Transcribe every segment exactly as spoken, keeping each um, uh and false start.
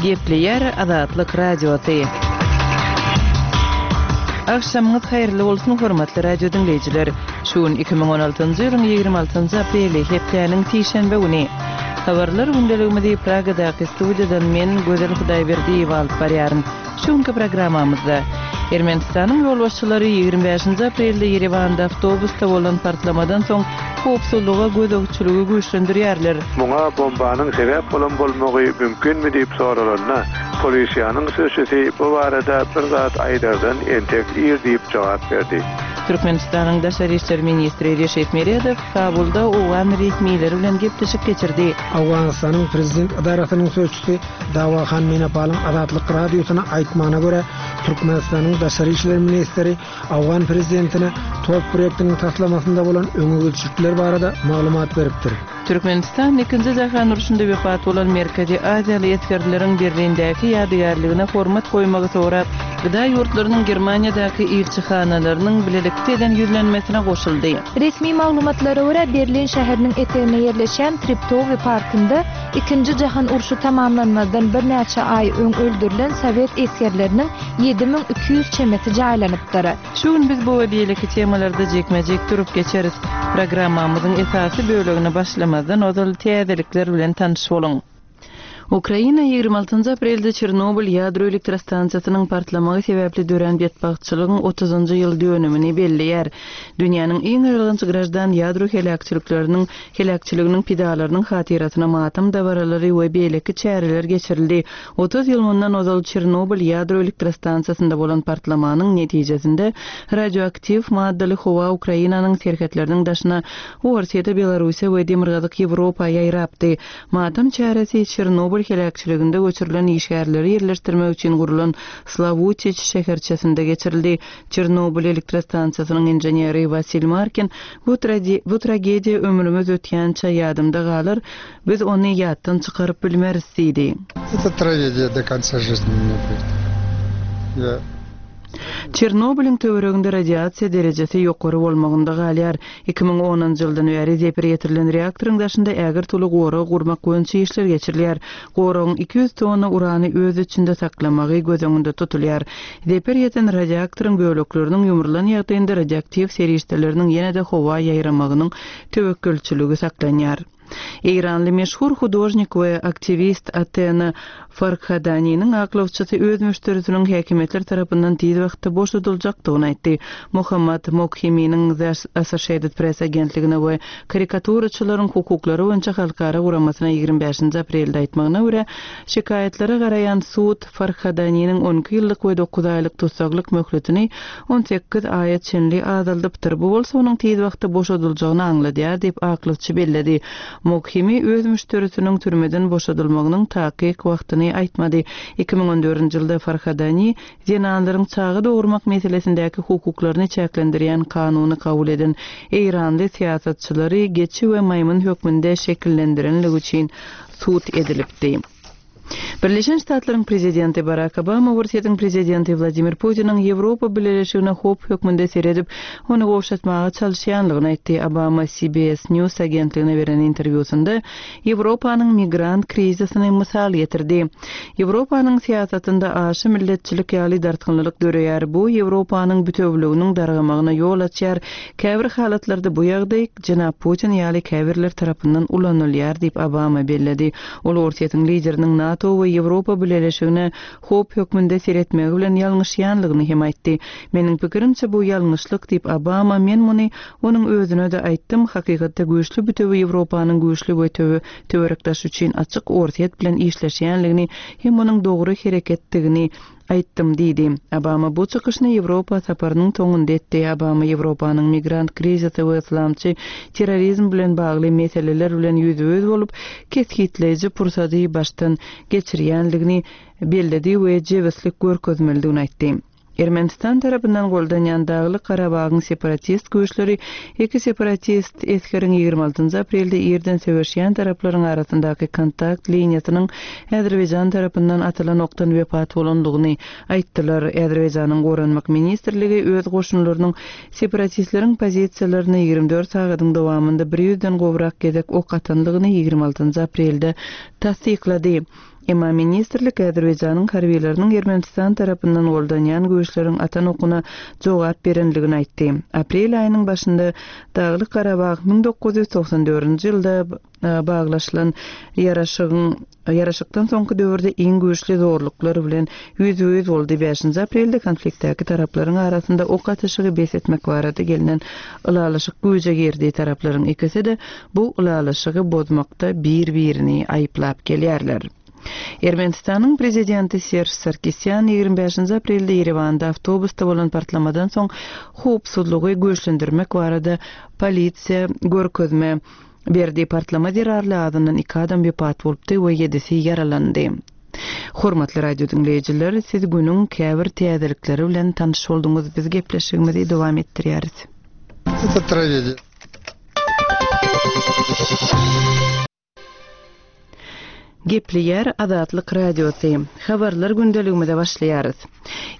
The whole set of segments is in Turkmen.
Gepleýär Azatlyk Radiosy. Agşamyňyz haýyrly bolsun, hormatly radio diňleýjiler. Şu gün iki müň on altynjy ýylyň ýigrimi altynjy apreli, hepdäniň sişenbe güni. Habarlar gündeligimizi Pragadaky studiýadan men, Gözel Hudaýberdiýewa alyp barýaryn. Şu günki programmamyzda Ermenistanyň ýolbaşçylary ýigrimi bäşinji aprelde Ýerewanda awtobusda bolan partlamadan soň howpsuzlyga gözegçiligi güýçlendirýärler. Muňa bombanyň sebäp bolan bolmagy mümkinmi diýip soralanda, polisiýanyň sözçüsi bu barada bir zat aýdardan entek ir diýip jogap berdi. Türkmenistanyň Daşary işler ministri Reşit Meredow Kabulda owgan resmileri bilen gepleşik geçirdi. Owganystanyň prezident edarasynyň sözçüsi Dawahan Menapalyň Azatlyk Radiosyna aýtmagyna görä, Türkmenistanyň Daşary işler ministri owgan prezidentine TOP proýektiniň taslamasynda bolan öňe gidişlikler barada maglumat beripdir. Türkmenistan ikinji jahan urşunda wepat bolan Merkezi Aziýaly esgerleriň Berlindäki ýadygärligine hormat goýmagy sorap, Gda ýurtlarynyň Germaniýadaky ilçihanalarynyň bilelikde eden ýüzlenmesine goşuldy. Resmi maglumatlara görä, Berlin şäheriniň eteginde ýerleşýän Treptowy parkynda ikinji jahan urşy tamamlanmazdan birnäçe aý öň öldürilen sowet esgerleriniň ýedi müň iki ýüz çemesi jaýlanypdyr. Şu gün biz bu we beýleki temalarda jikme-jik durup geçeris. Programmamyzyň esasy bölegine başlamazdan ozal täzelikler bilen tanyş boluň. Ukraina ýigrimi altynjy aprelde Çernobyl ýadro elektrostansiýasynyň partlamagy sebäpli dörän betbagtçylygyň otuzynjy ýyl dönümini belleýär. Dünýäniň iň aýylganç graždan ýadro heläkçilikleriniň heläkçiliginiň pidalarynyň hatyrasyna matam dabaralary we beýleki çäreler geçirildi. Otuz ýyl mundan ozal Çernobyl ýadro elektrostansiýasynda bolan partlamanyň netijesinde radioaktiw maddaly howa Ukrainanyň serhetleriniň daşyna Orsýete, Belarussiýa we Demirgazyk Ýewropa ýaýrapdy. Matam çäresi Çernobyl heläkçiliginde göçürilen işgärleri ýerleşdirmek üçin gurlan Slawutiç şäherçesinde geçirildi. Çernobyl elektrostansiýasynyň inženeri Wasil Markin, Bu bu tragediýa ömrümiz ötýänçä ýadymda galar, biz ony ýatdan çykaryp bilmeris diýdi. Это tragediýa do konca жизни у меня будет. Я Çernobylyň töwereginde radiasiýa derejesi ýokary bolmagynda galýar. Iki müň onunjy ýyldan bäri zeper ýetirilen reaktoryň daşynda ägirt uly gorag gurmak boýunça işler geçirilýär. Goragyň iki ýüz tonna urany öz içinde saklamagy göz öňünde tutulýar. Zeper ýeten radiaktoryň bölekleriniň ýumrulan ýagdaýynda radioaktiw serişdeleriniň ýene-de howa ýaýramagynyň töwekgelçiligi saklanýar. Eýranly meşhur hudožnik we aktiwist Atena Farkhadaniniň aklawçysy öz müşderisiniň häkimiýetler tarapyndan tiz wagtda boşadyljakdygyny aýtdy. Muhammad Mokhiminiň The Associated Press agentligine we karikaturaçylaryň hukuklary boýunça halkara guramasyna ýigrimi bäşinji aprelde aýtmagyna görä, şikaýatlara garaýan sud Farkhadaniniň on iki ýyllyk we dokuz aýlyk tussaglyk möhletini on sekiz aýa çenli azaldypdyr. Bu bolsa onuň tiz wagtda boşadyljagyny aňladýar diýip aklawçy belledi. Mokhimi öz müşderisiniň türmeden boşadylmagynyň takyk wagtyny aýtmady. Iki müň on dördünji ýylda Farhadani zenanlaryň çaga dogurmak meselesindäki hukuklaryny çäklendirýän kanuny kabul eden eýranly syýasatçylary geçi we maýmyn hökmünde şekillendirenligi üçin sud edilipdi. Birleşen Ştatlaryň prezidenti Barak Obama Orsýetiň prezidenti Wladimir Putiniň Ýewropa Bileleşigine howp hökmünde seredip, ony gowşatmaga çalyşýanlygyny aýtdy. Obama C B S News agentligine beren interwýusynda Ýewropanyň migrant krizisini mysal getirdi. Ýewropanyň syýasatynda aşa milletçilik ýaly dartgynlylyk döreýär. Bu Ýewropanyň bütewliginiň dargamagyna ýol açýar. Käbir halatlarda bu ýagdaý jenap Putin ýaly käbirler tarapyndan ulanylýar diýip Obama belledi. Ol Orsýetiň lideriniň NATO we Ýewropa Bileleşigine howp hökmünde seretmegi bilen ýalňyşýanlygyny hem aýtdy. Meniň pikirimçe bu ýalňyşlyk diýip Obama, men muny onuň özüne de aýtdym. Hakykatda güýçli bütewi Ýewropanyň güýçli we töwe-, töwerekdaş üçin açyk Orsýet bilen işleşýänligini hem onuň dogry hereketdigini aýtdym diýdi. Obama bu çykyşyny Ýewropa saparynyň soňunda etdi. Obama Ýewropanyň migrant krizisi we islamçy terrorizm bilen bagly meseleler bilen ýüzbe-ýüz bolup, kesgitleýji pursady başdan geçirýänligini belledi we jebislik görkezmelidigini aýtdy. Ermenistan tarapyndan goldanýan Daglyk Garabagyň separatist güýçleri iki separatist esgeriň ýigrimi altynjy aprelde irden söweşýän taraplaryň arasyndaky kontakt liniýasynyň Azerbaýjan tarapyndan atylan okdan wepat bolandygyny aýtdylar. Azerbaýjanyň Goranmak ministrligi öz goşunlarynyň separatistleriň pozisiýalaryny ýigrimi dört sagadyň dowamynda bir ýüzden gowrak gezek ok atandygyny ýigrimi altynjy aprelde tassyklady. Emma ministrlik Azerbaýjanyň harbileriniň Ermenistan tarapyndan goldanýan güýçleriň atan okuna jogap berendigini aýtdy. Aprel aýynyň başynda Daglyk Garabag müň dokuz ýüz togsan dördünji ýylda baglaşylan ýaraşygyň ýaraşykdan soňky döwürde iň güýçli zorluklar bilen ýüz-ýüz boldy. Bäşinji aprelde konfliktdäki taraplaryň arasynda ok atyşygy bes etmek barada gelinen ylalaşyk güýje girdi. Taraplaryň ikisi-de bu ylalaşygy bozmakda bir-birini aýyplap gelýärler. Ermenistanyň prezidenti Serj Sarkisýan ýigrimi bäşinji aprelde Ýerewanda awtobusda bolan partlamadan soň howpsuzlygy güýçlendirmek barada polisiýa görkezme berdi. Partlama zerarly azyndan iki adam wepat bolupdy we ýedisi ýaralandy. Hormatly radio dinleýjiler, siz günüň käbir täzelikleri bilen tanyş bolduňyz. Biz gepleşigimizi dowam etdirýäris. Это трагедия. Gepleýär Azatlyk Radiosy. Habarlar gündeligimize başlaýarys.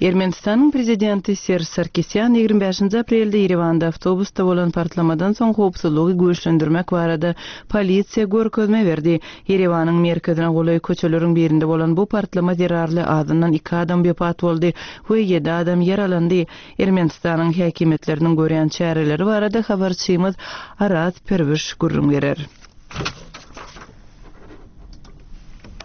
Ermenistanyň prezidenti Serj Sarkisýan ýigrimi bäşinji aprelde Ýerewanda awtobusda bolan partlamadan soň howpsuzlygy güýçlendirmek barada polisiýa görkezme berdi. Ýerewanyň merkezine golaý köçeleriň birinde bolan bu partlama zerarly azyndan iki adam wepat boldy we ýedi adam ýaralandy. Ermenistanyň häkimiýetleriniň görýän çäreleri barada habarçymyz Araz Perwiş gürrüň berer.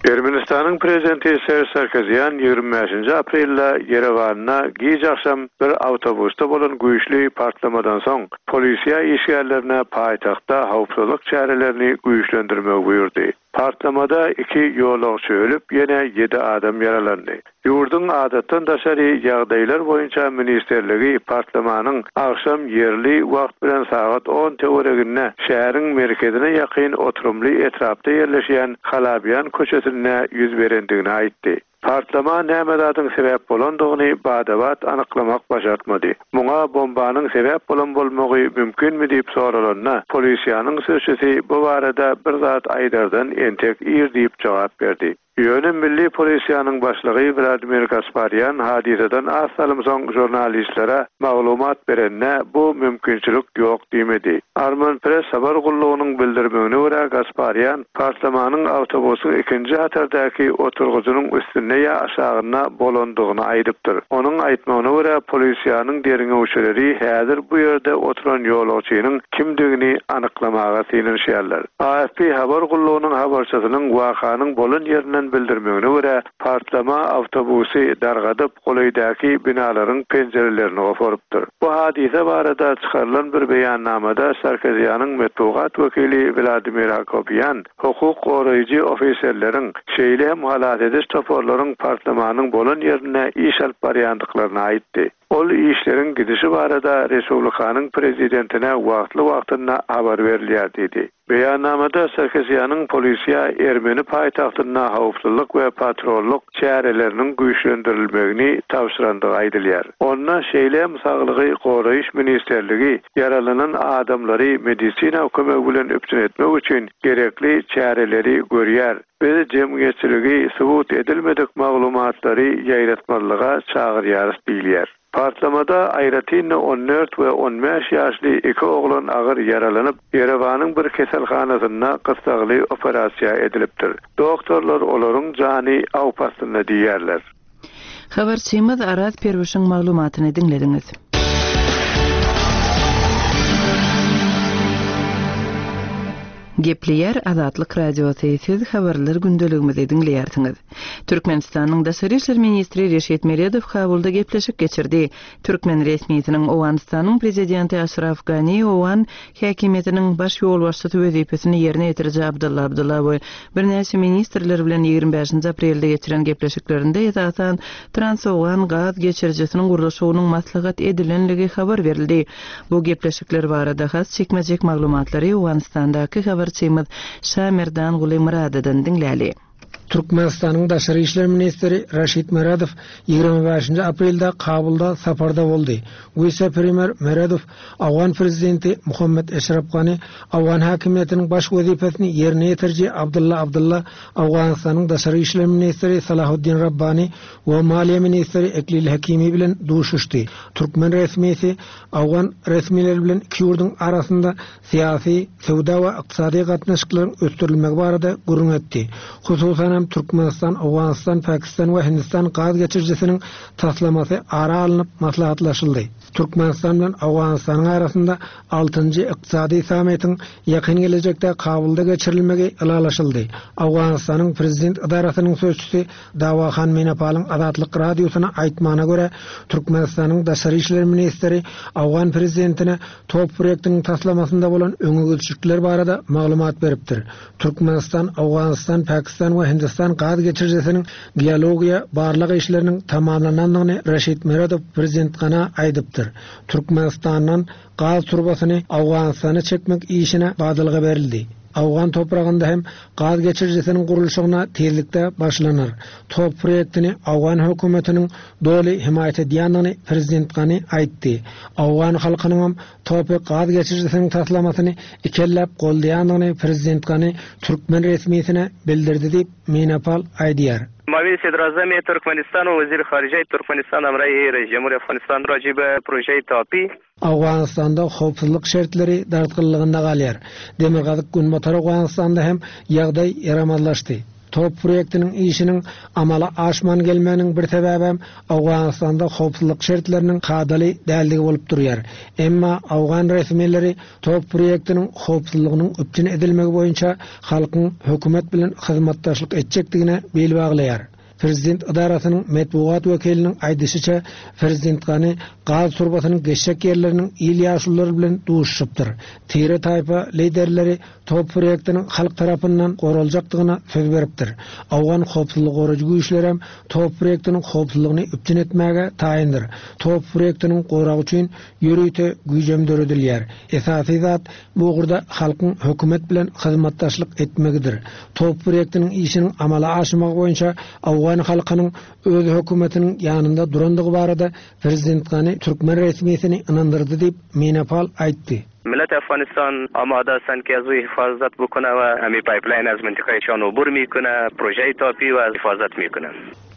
Ermenistanyň prezidenti Serj Sarkisýan ýigrimi bäşinji aprelde Ýerewanda giç akşam bir awtobusda bolan güýçli partlamadan soň polisiýa işgärlerine paýtagtda howpsuzlyk çärelerini güýçlendirmegi buýurdy. Partlamada iki ýolagçy ölüp, ýene ýedi adam ýaralandy. Ýurduň adatdan daşary ýagdaýlar boýunça ministerligi partlamanyň akşam ýerli wagt bilen sagat on töwereginde şäheriň merkezine ýakyn oturymly etrapda ýerleşýän Halabian köçesinde ýüz berendigini aýtdy. Partlama näme zadyň sebäp bolandygyny badabat anyklamak başartmady. Muňa bombanyň sebäp bolan bolmagy mümkinmi diýip soralanda, polisiýanyň sözçüsi bu barada bir zat aýdardan entek ir diýip jogap berdi. Ýöne milli polisiýanyň başlygy Wladimir Gasparyan hadisadan az salym soň jurnalistlere maglumat berende bu mümkinçilik ýok diýmedi. Armen Press habar gullugynyň bildirmegine görä Gasparyan partlamanyň awtobusyň ikinji hatardaky oturgyjynyň üstünde ýa aşagynda bolandygyny aýdypdyr. Onuň aýtmagyna görä polisiýanyň derňewçileri häzir bu ýerde oturan ýolagçynyň kimdigini anyklamaga synanyşýarlar. A F P habar gullugynyň habarçysynyň wakanyň bolan ýerinden bildirmegine görä partlama awtobusy dargadyp golaýdaky binalaryň penjirelerini goparypdyr. Bu hadise barada çykarylan bir beýannamada Sarkisýanyň metbugat wekili Wladimir Akopyan hukuk goraýjy ofiserleriň şeýle hem halas ediş toparlaryň partlamanyň bolan ýerine iş alyp barýandyklaryny aýtdy. Ol işleriň gidişi barada Respublikanyň prezidentine wagtly-wagtynda habar berilýär diýdi. Beýannamada Sarkisýanyň polisiýa Ermeni paýtagtynda howpsuzlyk we patrollyk çäreleriniň güýçlendirilmegini tabşyrandygy aýdylýar. Onda şeýle hem saglygy goraýyş ministerligi ýaralanan adamlary medisina kömegi bilen üpjün etmek üçin gerekli çäreleri görýär. Biz jemgyýetçiligi subut edilmedik maglumatlary ýaýratmalyga çagyrýarys diýilýär. Partlamada aýratyn on dört we on bäş ýaşly iki oglan agyr ýaralanyp, Ýerewanyň bir keselhanasynda gyssagly operasiýa edilipdir. Doktorlar olaryň jany awp astynda diýýärler. Habarçymyz Araz Perwişiň maglumatyny diňlediňiz. Gepleýär Azatlyk Radiosy, siz habarlar gündeligimizi diňleýärsiňiz. Türkmenistanyň Daşary işler ministri Reşit Meredow Kabulda gepleşik geçirdi. Türkmen resmisiniň Owganystanyň prezidenti Aşraf Gani Owgan häkimiýetiniň baş ýolbaşçysy wezipesini ýerine ýetiriji Abdulla Abdulla we birnäçe ministrler bilen ýigrimi bäşinji aprelde geçiren gepleşiklerinde esasan Trans-Owgan gaz geçirijisiniň gurluşygynyň maslahat edilenligi habar berildi. Bu gepleşikler barada has çekmejek maglumatlary Owganystandaky habarçymyz Şamerdan Guli Muradadan diňläli. Türkmenistanyň Daşary işler ministri Raşid Meredow ýigrimi bäşinji aprelde Kabulda saparda boldy. Wise-premýer Meredow Awgan prezidenti Muhammed Eşraf Gani, Awgan häkimiýetiniň baş wezipesini ýerine ýetiriji Abdulla Abdulla, Awganystanyň Daşary işler ministri Salahuddin Rabbani we maliýe ministri Eklil Hakimi bilen duşuşdy. Türkmen resmisi Awgan resmileri bilen iki ýurduň arasynda syýasy, söwda we ykdysady gatnaşyklaryň ösdürilmegi barada gürrüň etdi. Hususan hem Türkmenistan, Owganystan, Pakistan we Hindistan gaz geçirijisiniň taslamasy ara alnyp maslahatlaşyldy. Türkmenistan bilen Owganystanyň arasynda altynjy ykdysady sammitiň ýakyn gelejekde Kabulda geçirilmegi ylalaşyldy. Owganystanyň prezident edarasynyň sözçüsi Dawahan Menapalyň Azatlyk radiosyna aýtmagyna görä, Türkmenistanyň daşary işler ministri Owgan prezidentine top proýektiniň taslamasynda bolan öňegidişlikler barada maglumat beripdir. Türkmenistan, Owganystan, Pakistan we Hindistan gaz geçirijisiniň geologiýa barlag işleriniň tamamlanandygyny Raşid Meredow prezident Gana aýdypdyr. Türkmenistandan gaz turbasyny Owganystana çekmek işine badalga berildi. Owgan topragynda hem gaz geçirijisiniň gurluşygyna tezlikde başlanar. Top proýektini Owgan hökümetiniň doly himaýat edýändigini prezident Gani aýtdy. Owgan halkynyň hem topy gaz geçirijisiniň taslamasyny ikelläp goldaýandygyny prezident Gani türkmen resmisine bildirdi diýip Menapal aýdýar. معاون صدراعظم ترکمنستان و وزیر خارجه ترکمنستان همراه رئیس جمهور افغانستان راجع به پروژه تاپی Owganystanda howpsuzlyk şertleri dartgynlygynda galýar. Demirgazyk Günbatar Owganystanda hem ýagdaý ýaramazlaşdy. Top proýektiniň işiniň amala aşman gelmeginiň bir sebäbi hem Owganystanda howpsuzlyk şertleriniň kadaly däldigi bolup durýar. Emma Owgan resmileri top proýektiniň howpsuzlygynyň üpjün edilmegi boýunça halkyň hökümet bilen hyzmatdaşlyk etjekdigine bil baglaýar. Prezident edarasynyň metbugat wekiliniň aýdyşyça Prezident Gani gaz turbasynyň geçjek ýerleriniň il ýaşululary bilen duşupdyr. Tire taýpa liderleri top proýektiniň halk tarapyndan goraljakdygyna söz beripdir. Owgan howpsuzlyk goraýjy güýçleri hem top proýektiniň howpsuzlygyny üpjün etmäge taýyndyr. Top proýektiniň goragy üçin ýörite güýjem döredilýär. Esasy zat bu ugurda halkyň hökümet bilen hyzmatdaşlyk etmegidir. Top proýektiniň işiniň amala aşmagy boýunça Owgan halkynyň öz hökümetiniň ýanynda durandygy barada Prezident Gani türkmen resmisini ynandyrdy diýip Menapal aýtdy. ملت افغانستان آماده هستند که از او حفاظت بکنه و همی pipeline از منطقه عبور میکنه، پروژه تاپی و حفاظت میکنه.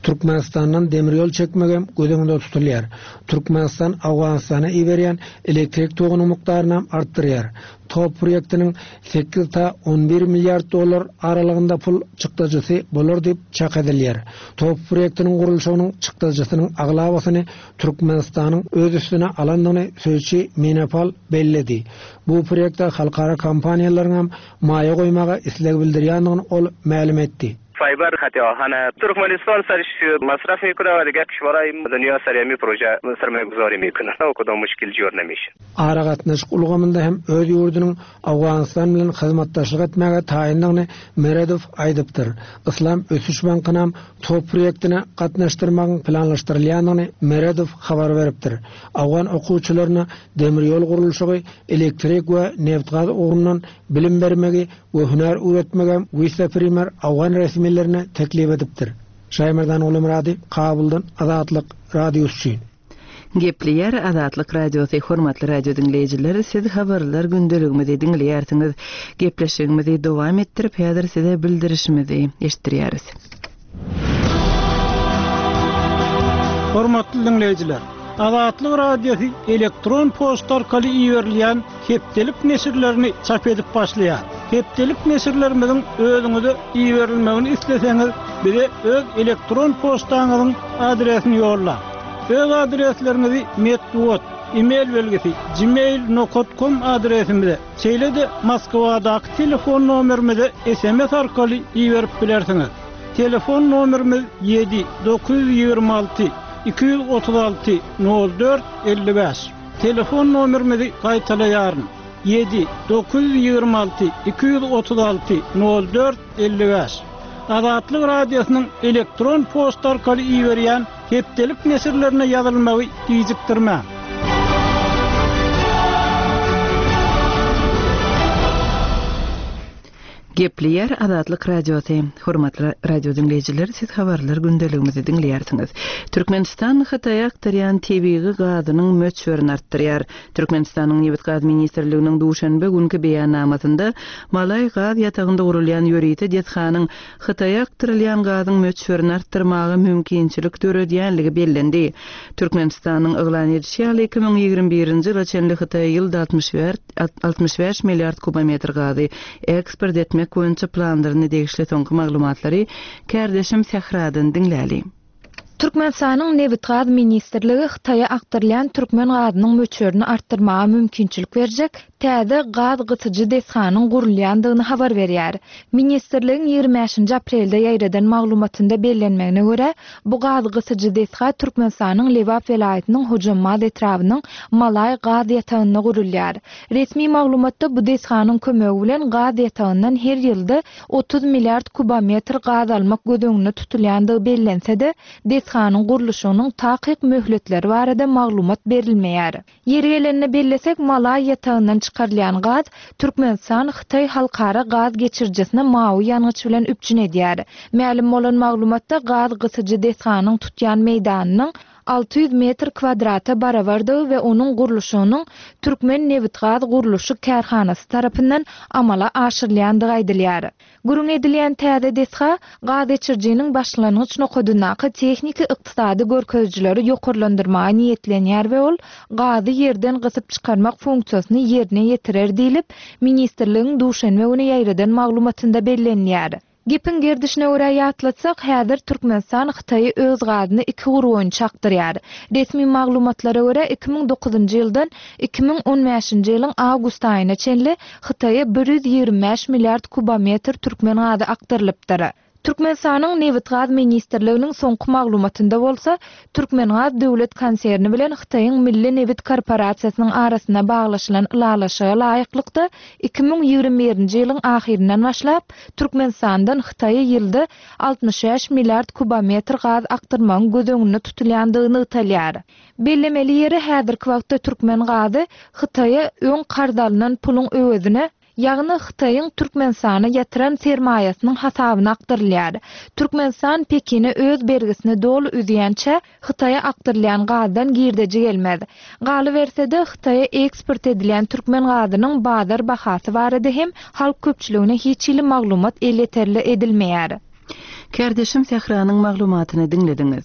Türkmenistandan demir ýol çekmegem göz öňünde tutulýar. Türkmenistan Owganystana iberýän elektrik togunyň mukdaryny artdyrýar. Top proýektiniň sekiz ta on bir milliard dollar aralygynda pul çykdajysy bolar diýip çak edilýär. Top proýektiniň gurluşygynyň çykdajysynyň aglabasyny Türkmenistanyň öz üstüne alandygyny sözçi Menapal belledi. Bu proýektde halkara kompaniýalaryň hem maýa goýmaga isleg bildirýändigini ol mälim etdi. فایبر خط آهن ترکمنستان سرش مصرف میکنه و دیگر کشورهای دنیا سر همی پروژه سرمایه گذاری میکنه و کدام مشکل جور نمیشه. Aragatnaşyk ulgamynda hem öz ýurdunyň Owganystan bilen hyzmatdaşlyk etmäge taýyndygyny Meredow aýdypdyr. Islam Ösüş Bankyna top proýektine gatnaşdyrmagyň planlaşdyrylýandygyny Meredow habar beripdir. Owgan okuwçylaryna demir ýol gurluşygy, elektrik we neft-gaz ugrundan bilim bermegi we hünär öwretmegi wise-premýer Owgan resmilerine teklip edipdir. Şaýmerdan Ulumyrady, Kabuldan Azatlyk Radiosy üçin. Gepleýär Azatlyk Radiosy, hormatly radio diňleýjiler, siz habarlar gündeligimizi diňleýärsiňiz. Gepleşigimizi dowam etdirip, häzir size bildirişimizi eşitdirýäris. Hormatly diňleýjiler, Azatlyk Radiosy elektron poçta arkaly iberilýän hepdelik neşirlerini çap edip başlaýar. Hepdelik neşirlerimiziň özüňize iberilmegini isleseňiz, bize öz elektron poçtaňyzyň adresini ýolla. Öz adresleriňizi metbugat, e-mail belgisi gmail nokta com adresimize, şeýle-de Moskwadaky telefon nomerimize S M S arkaly iberip bilersiňiz. Telefon nomerimiz ýedi dokuz ýüz ýigrimi alty iki ýüz otuz alty nol dört elli bäş. Telefon nomerimizi gaýtalaýaryn. Ýedi dokuz ýüz ýigrimi alty iki ýüz otuz alty nol dört elli bäş. Azatlyk Radiosynyň elektron poçta arkaly iberýän hepdelik neşirlerine ýazylmagy gijikdirmäň. Gepleýär Azatlyk Radiosy. Hormatly radio diňleýjiler, siz habarlar gündeligimizi diňleýärsiňiz. Türkmenistan Hytaýa aktarýan tebigy gazynyň möçberini artdyrýar. Türkmenistanyň Nebit Gaz Ministrliginiň duşenbe günki beýannamasynda Malaý gaz ýatagynda gurulýan ýörite desganyň Hytaýa aktarylýan gazyň möçberini artdyrmaga mümkinçilik döredýänligi bellendi. Türkmenistanyň yglan edişi ýaly iki müň ýigrimi birinji ýyla çenli Hytaýa ýylda altmyş bäş milliard kubometr gazy eksport etmek etmek boýunça planlaryna degişli soňky maglumatlary kärdeşim Sähradan diňläli. Türkmenistanyň Nebitgaz ministrligi Hytaýa akdyrylýan türkmen gazynyň möçberini artdyrmaga mümkinçilik berjek täze gaz gysyjy desganyň gurulýandygyny habar berýär. Ministrligiň ýigrimi bäşinji aprelde ýaýradan maglumatynda bellenmegine görä, bu gaz gysyjy desga Türkmenistanyň Lebap welaýatynyň Hojambaz etrabynyň Malaý gaz ýatagynda gurulýar. Resmi maglumatda bu desganyň kömegi bilen gaz ýatagyndan her ýylda otuz milliard kubometr gaz almak göz öňünde tutulýandygy bellense-de, desganyň gurluşygynyň takyk möhletleri barada maglumat berilmeýär. Ýeri gelende bellesek, Malaý ýatagyndan çykarylýan gaz Türkmenistan Hytaý halkara gaz geçirijisine mawy ýangyç bilen üpjün edýär. Mälim bolan maglumatda gaz gysyjy desganyň tutýan meýdanynyň alty ýüz metr kwadrata barabardygy we onuň gurluşygynyň Türkmen Nebitgaz gurluşyk kärhanasy tarapyndan amala aşyrylýandygy aýdylýar. Gürrüň edilýän täze desga gaz geçirijiniň başlangyç nokadyndaky tehniki ykdysady görkezijileri ýokarlandyrmaga niýetlenýär we ol gazy ýerden gysyp çykarmak funksiýasyny ýerine ýetirer diýlip, ministrligiň duşenbe güni ýaýradan maglumatynda bellenýär. Gepiň gerdişine görä ýatlatsak, häzir Türkmenistan Hytaýy öz gazyny iki ugur boýunça akdyrýar. Resmi maglumatlara görä iki müň dokuzynjy ýyldan iki müň on bäşinji ýylyň awgust aýyna çenli Hytaýa bir ýüz ýigrimi bäş milliard kubometr türkmen gazy akdyrylypdyr. Türkmenistanyň Nebitgaz ministrliginiň soňky maglumatynda bolsa, Türkmengaz döwlet konserni bilen Hytaýyň Milli Nebit korporasiýasynyň arasynda baglaşylan ylalaşyga laýyklykda iki müň ýigrimi birinji ýylyň ahyryndan başlap Türkmenistandan Hytaýa ýylda altmyş bäş milliard kubometr gaz akdyrmagyň göz öňünde tutulýandygy nygtalýar. Bellemeli ýeri häzirki wagtda türkmen gazy Hytaýa öň karz alynan puluň öwezine, ýagny Hytaýyň Türkmenistana ýatyran sermaýasynyň hasabyna akdyrylýar. Türkmenistan Pekine öz bergisini doly üzýänçä Hytaýa akdyrylýan gazdan girdeji gelmez. Galyberse-de Hytaýa eksport edilýän türkmen gazynyň bazar bahasy barada hem halk köpçüligine hiç hili maglumat elýeterli edilmeýär. Kärdeşim Sähranyň maglumatyny diňlediňiz.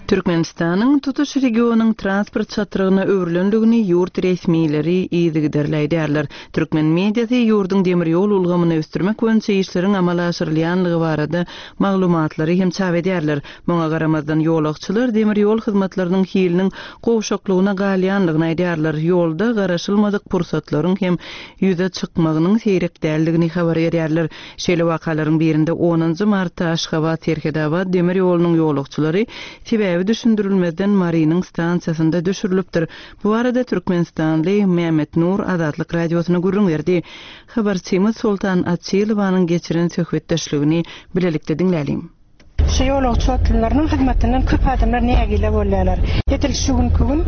Türkmenistanyň tutuş regionyň transport çatrygyna öwrülendigini ýurt resmileri yzygiderli aýdýarlar. Türkmen mediasy ýurduň demir ýol ulgamyny ösdürmek boýunça işleriň amala aşyrylýanlygy barada maglumatlary hem çap edýärler. Muňa garamazdan ýolagçylar demir ýol hyzmatlarynyň hiliniň gowşaklygyna galýanlygyny aýdýarlar. Ýolda garaşylmadyk pursatlaryň hem ýüze çykmagynyň seýrek däldigini habar berýärler. Şeýle wakalaryň birinde onunjy martda Aşgabat Serhetabat demir ýolunyň ýolagçylary sebäbi düşündirilmezden Marynyň stansiýasynda düşürilipdir. Bu arada Türkmenistanly Mehmet Nur Azatlyk radiosyna gürrüň berdi. Habarçymyz Sultan Açylowanyň geçiren söhbetdeşligini bilelikde diňlälim. Şu ýolagçy otlylarynyň hyzmatyndan köp adamlar nägile bolýarlar. Edil şu günkü gün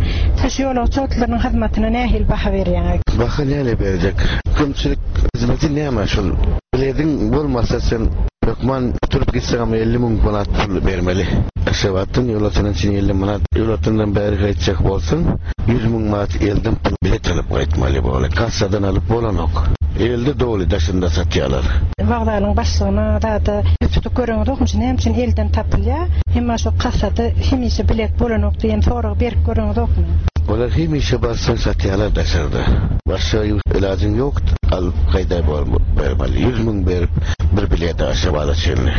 şu ýolagçy otlylarynyň hyzmatyna nähili baha berýäňiz? Baha näle berjek? Kömçilik hyzmaty näme şol? Biledin bolmasa sen hökman oturup gitseň hem elli müň manat pul bermeli. Aşgabatdan ýolagçydan çyn elli manat, ýolagçydan bäri gaýtjak bolsaň ýüz müň manat elden pul bilet alyp gaýtmaly bolýar. Kassadan alyp bolanok. Elde doly daşynda satýarlar. Wagzalyň başlygyna da tutup görüňiz okmuş, näme üçin elden tapylýar? Emma şu kassada hemişe bilet bolanok diýen soragy berip görüňiz okmy? Olar hemişe barsaň satýarlar daşarda. Başga ilajyň ýok, alyp gaýda bermeli. Ýüz müň berip bir bilet Aşgabada çenli.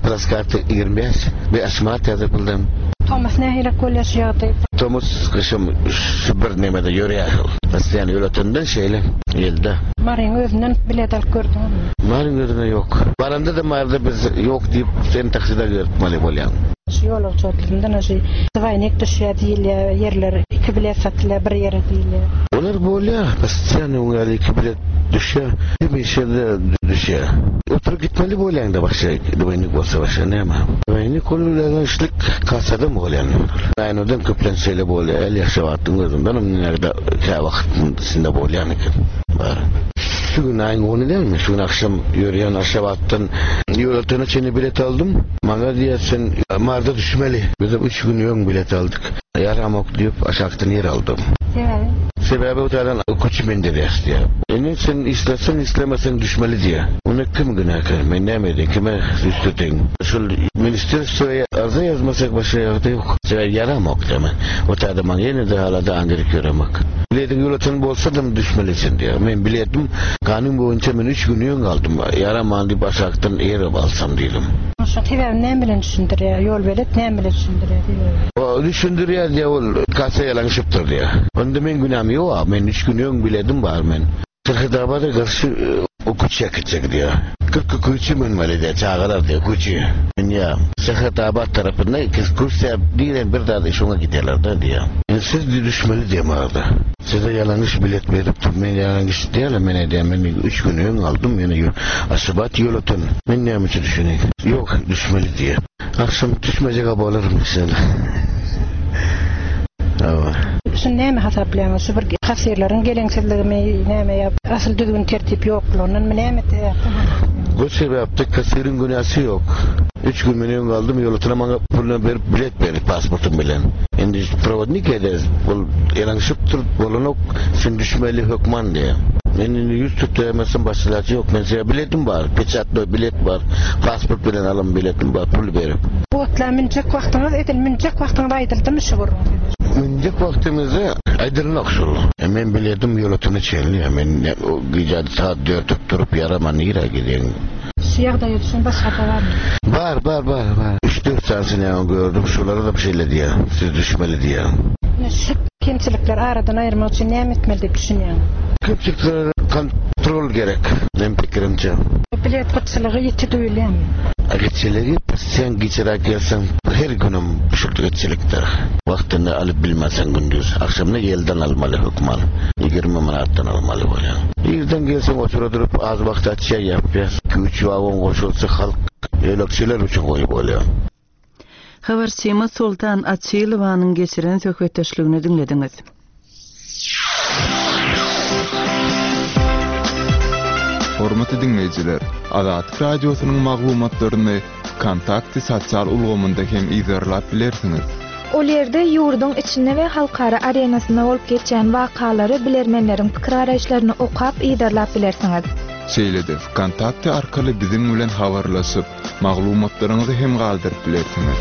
Plaskarta ýigrimi bäş we Aşgabat ýazyp buldum. Tomus nähili bolýar şu ýagdaý? Tomus gyşym şu bir nemede ýörýär. Aslan ýöretenden şeýle ýylda. Maryň özünden bilet alyp gördüňizmi? Maryň özüne ýok. Baranda da Maryda biz ýok diýip sen takside ýörtmeli bolýan. Şu ýolagçy otlundan şu dwaýnik düşýär diýilýär, ýerler iki bilet satylýar bir ýere diýilýär. Olar bolýar, postoýanny oňa iki bilet düşýär, hemişe de düşýär. Oturup gitmeli bolýan da başga dwaýnik bolsa başga näme? Dwaýnik bolýan kasada bolýan. Aýnadan köplen şeýle bolýar, el ýaşabatdyň özünden näde kä wagt içinde bolýan eken. Bar. Şu gün aýyň ony dälmi? Şu gün akşam ýörýän Aşgabatdan ýolagçyna çenli bilet aldym. Maňa diýýär, sen Marda düşmeli. Biz üç gün öň bilet aldyk. Ýaramok diýip aşakdan ýer aldym. Sebäbi? Sebäbi otadan okuçy mendirýär diýýär. Indi sen islesen islemesen düşmeli diýýär. Ony kim günäkär? Men näme edeyim? Kime üstüdeýin? Şol ministerstwoya arza ýazmasak başga ýagdaý ýok. Sebäbi ýaramok diýme. Otada maňa ýene-de hala-da andyryp ýöremek. Biletiň ýolatan bolsa-da düşmeli sen diýýär. Men biletim kanun boýunça men üç gün öň aldym. Ýaraman diýip aşakdan ýere alsam diýdim. Şu sebäbi näme bilen düşündirýär? Ýol belet näme bilen düşündirýär? O düşündirýär diýýär, ol kassa ýalanşypdyr diýýär. Onda men günäm ýok, men üç gün öň biledim bar men. Serhedabada garşy okuçy çekecek diýýär. Kyrk okuçy münmeli diýýär, çagalar diýýär, okuçy. Dünýä Serhetabat tarapynda ekskursiýa diýen bir zady şoňa giderler da diýýär. Yani siz düşmeli diýýär arada. Size ýalanyş bilet berip, men ýalanyş diýýär, men edýän, men üç gün öň aldym, men Aşgabat ýolatan. Men näme üçin düşüneyim? Ýok, düşmeli diýýär. Akşam düşmejek bolarym inşallah. Hawa. Şu näme hasaplaýaňyz? Şu bir kassirleriň geleňsizligimi, näme ýa asyl düzgün tertip ýoklugyndan mı näme sebäpden? Bu sebäpde kassirin günäsi ýok. Üç gün men öň aldym, ýolatyna maňa puluny berip bilet berip pasportum bilen. Indi provodnik eder, ol ýalanyşypdyr, bolanok, sen düşmeli hökman diýýär. Men indi ýüz tutýamazsam başga ýok. Men size biletim bar, peçatly bilet bar, pasport bilen alan biletim bar, pul berip. Bu otla münjek wagtyňyz edil münjek wagtyňyz aýdyldymy şu gürrüň? Münjek wagtymyzda aýdylmak şol. E, men biletim ýolatyna çenli. Men o gije saat dört durup ýaraman nirä gideyim? Şu ýagdaýa düşen başga da barmy? Bar, bar, bar, bar. Üç dört sansını ýa gördüm. Şolara da bir şeyle diýýär. Siz düşmeli diýýär. Şu kemçilikler aradan aýyrmak üçin näme etmeli diýip düşünýäňiz? Kemçiliklere kontrol gerek. Men pikirimçe. Bilet gytçylygy ýiti duýulýarmy? Gytçylygy sen geçiräk gelsen her günüm şu gytçylykdyr. Wagtyny alyp bilmesen gündüz. Akşamda ýelden almaly hökman. Ýigrimi manatdan almaly bolýar. Irden gelsen otura durup az wagt açýa ýapýar. Üç wagon goşulsa halk ýolagçylar üçin goýup bolýar. Habarçymyz Sultan Açylowanyň geçiren söhbetdeşligini diňlediňiz. Hormatly diňleýjiler, Azatlyk Radiosynyň maglumatlaryny Kontakty sosial ulgamynda hem izerlap bilersiňiz. Ol ýerde ýurduň içinde we halkara arenasynda bolup geçýän wakalary bilermenleriň pikir araýyşlaryny okap izerlap bilersiňiz. Şeýle-de Kontakty arkaly biziň bilen habarlaşyp, maglumatlaryňyzy hem galdyryp bilersiňiz.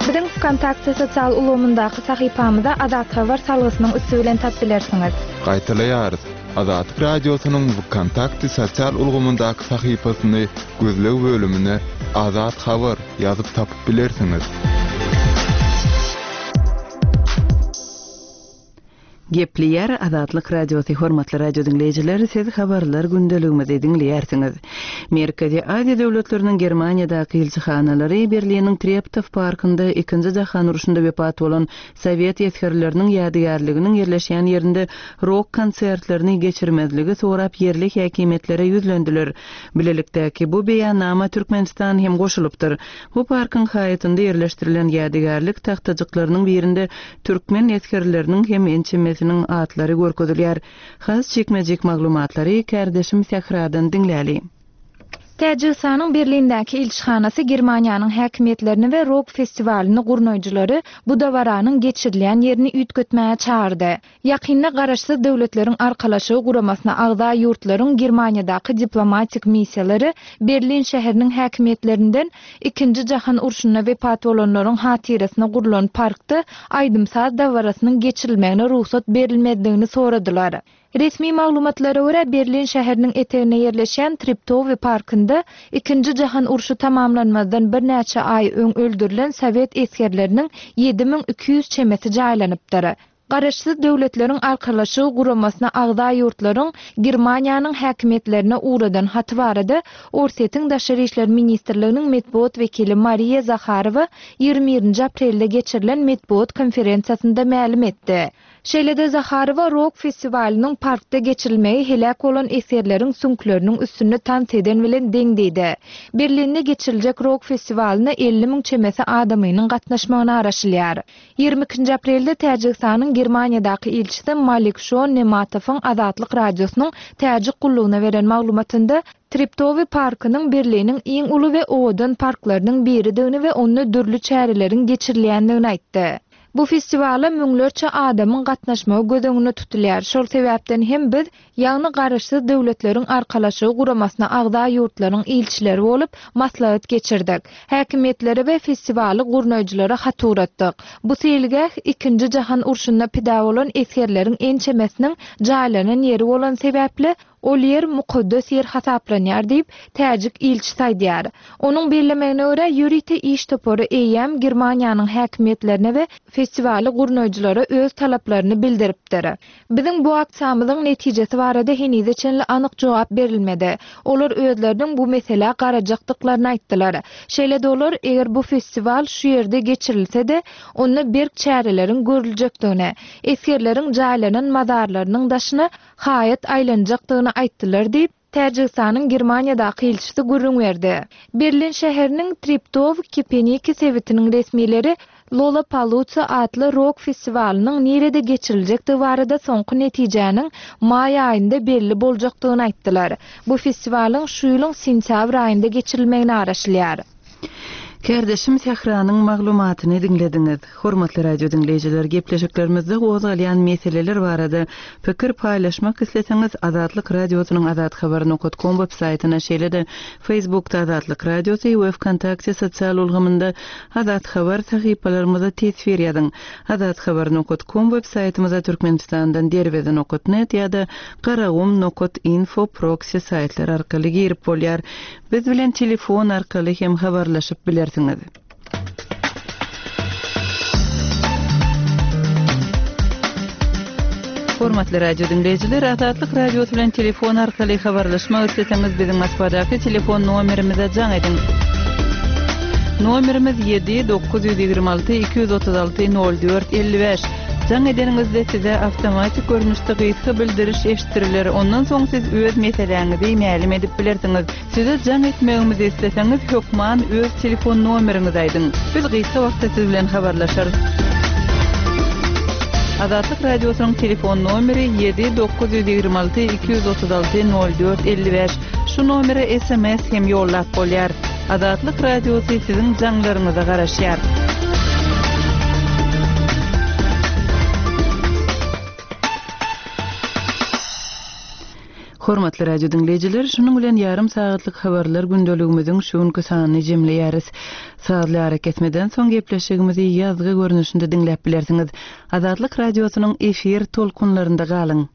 Biziň Kontakty sosial ulgamyndaky sahypamyza Azat Habar salgysynyň üsti bilen tap bilersiňiz. Gaýtalaýarys. Azatlyk Radiosynyň Kontakty sosial ulgamyndaky sahypasyny gözleg bölümine Azat Habar ýazyp tapyp bilersiňiz. Gepleýär Azatlyk Radiosy hormatly radio diňleýjiler, siz habarlar gündeligimizi diňleýärsiňiz. Merkezi Aziýa döwletleriniň Germaniýadaky ilçihanalary Berliniň Treptow parkynda ikinji jahan urşunda wepat bolan Sowet esgerleriniň ýadygärliginiň ýerleşýän ýerinde rok konsertlerini geçirmezligi sorap ýerli häkimiýetlere ýüzlendiler. Bilelikdäki bu beýannama Türkmenistan hem goşulypdyr. Bu parkyň haýatynda ýerleşdirilen ýadygärlik tagtajyklarynyň birinde türkmen esgerleriniň hem ençemesiniň atlary görkezilýär. Has çekmejek maglumatlary kardeşim Sähradan diňläli. Täjigistanyň Berlindäki ilçihanasy Germaniýanyň häkimiýetlerini we rok festiwalyny gurnaýjylary bu dabaranyň geçirilýän ýerini üýtgetmäge çağırdy. Ýakynda garaşsyz döwletleriň arkalaşygy guramasyna agza ýurtlaryň Germaniýadaky diplomatik missiýalary Berlin şäheriniň häkimiýetlerinden ikinji jahan urşunda wepat bolanlaryň hatyrasyna gurlan parkda aýdym-saz dabarasynyň geçirilmegine rugsat berilmezligini soradylar. Resmi maglumatlara görä Berlin şäheriniň etegine ýerleşýän Treptow parkynda ikinji jahan urşy tamamlanmazdan birnäçe aý öň öldürilen Sowet esgerleriniň ýedi müň iki ýüz çemesi jaýlanypdyr. Garaşsyz döwletleriň arkalaşygy guramasyna agza ýurtlaryň Germaniýanyň häkimiýetlerine ugradan haty barada Orsýetiň Daşary işler ministrliginiň metbugat wekili Mariýa Zaharowa ýigrimi birinji aprelde geçirilen metbugat konferensiýasynda mälim etdi. Şeýle-de Zaharowa rok festiwalynyň parkda geçirilmegi heläk bolan esgerleriň süňkleriniň üstünde tans eden bilen deň diýdi. Berlinde geçiriljek rok festiwalyna elli müň çemesi adamynyň gatnaşmagyna araşylýar. Ýigrimi ikinji aprelde Täjigistanyň Germaniýadaky ilçisi Malik Şon Nematowyň Azatlyk Radiosynyň Täjik gullugyna beren maglumatynda Treptow parkynyň Berliniň iň uly we owadan parklarynyň biridigini we onda dürli çäreleriň geçirilýändigini aýtdy. Bu festiwala müňlerçe adamyň gatnaşmagy göz öňünde tutulýar. Şol sebäpden hem biz, ýagny Garaşsyz Döwletleriň Arkalaşygy guramasyna agza ýurtlaryň ilçileri bolup, maslahat geçirdik. Häkimiýetlere we festiwaly gurnaýjylara hat ugratdyk. Bu seýilgäh Ikinji jahan urşunda pida bolan esgerleriň ençemesiniň jaýlanan ýeri bolan sebäpli, ol ýer mukaddes ýer hasaplanýar diýip, täjik ilçisi aýdýar. Onuň bellemegine görä, ýörite iş topary eýýäm Germaniýanyň häkimiýetlerine we festiwaly gurnaýjylara öz talaplaryny bildiripdir. Biziň bu aksiýamyzyň netijesi barada henize çenli anyk jogap berilmedi. Olar özleriniň bu meselä garajakdyklaryny aýtdylar. Şeýle-de olar, eger bu festiwal şu ýerde geçirilse-de, onda berk çäreleriň görüljekdigini, esgerleriň jaýlanan mazarlarynyň daşyna haýat aýlanjakdygyny aýtdylar diýip, Täjigistanyň Germaniýadaky ilçisi gürrüň berdi. Berlin şäheriniň Treptow-Kepeniki sebitiniň resmileri Lollapalooza atly rok festiwalynyň nirede geçiriljekdigi barada soňky netijäniň maý aýynda belli boljakdygyny aýtdylar. Bu festiwalyň şu ýylyň sentýabr aýynda geçirilmegine garaşylýar. Kärdeşim Sähranyň maglumatyny diňlediňiz. Hormatly radio diňleýjiler, gepleşiklerimizde gozgalýan meseleler barada pikir paýlaşmak isleseňiz, Azatlyk Radiosynyň azathabar nokat com web saýtyna, şeýle-de Facebookda Azatlyk Radiosy we Wkontakte sosial ulgamynda Azat Habar sahypalarymyza teswir ýazyň. Azathabar nokat com web saýtymyza Türkmenistandan derweze nokat net ýa-da garagum nokat info proxy saýtlar arkaly girip bolýar. Biz bilen telefon arkaly hem habarlaşyp bilersiňiz. Hormatly radio diňleýjiler, Azatlyk Radiosy bilen telefon arkaly habarlaşmak isleseňiz biziň Moskwadaky telefon nomerimize jaň ediň. Nomerimiz ýedi dokuz ýüz ýigrimi alty iki ýüz otuz alty nol dört elli bäş. Jaň edeniňizde size awtomatik görnüşde gysga bildiriş eşitdiriler. Ondan soň siz öz meseläňizi mälim edip bilersiňiz. Size jaň etmegimizi isleseňiz, hökman öz telefon nomeriňizi aýdyň. Biz gysga wagtda siz bilen habarlaşarys. Azatlyk Radiosynyň telefon nomeri ýedi dokuz ýüz ýigrimi alty iki ýüz otuz alty nol dört elli bäş. Şu nomere S M S hem ýollap bolýar. Azatlyk Radiosy siziň jaňlaryňyza garaşýar. Hormatly radio diňleýjiler, şunuň bilen ýarym sagatlyk habarlar gündeligimiziň şu günki sanyny jemleýäris. Sazly ara kesmeden soň gepleşigimizi ýazgy görnüşinde diňläp bilersiňiz. Azatlyk Radiosynyň efir tolkunlarynda galyň.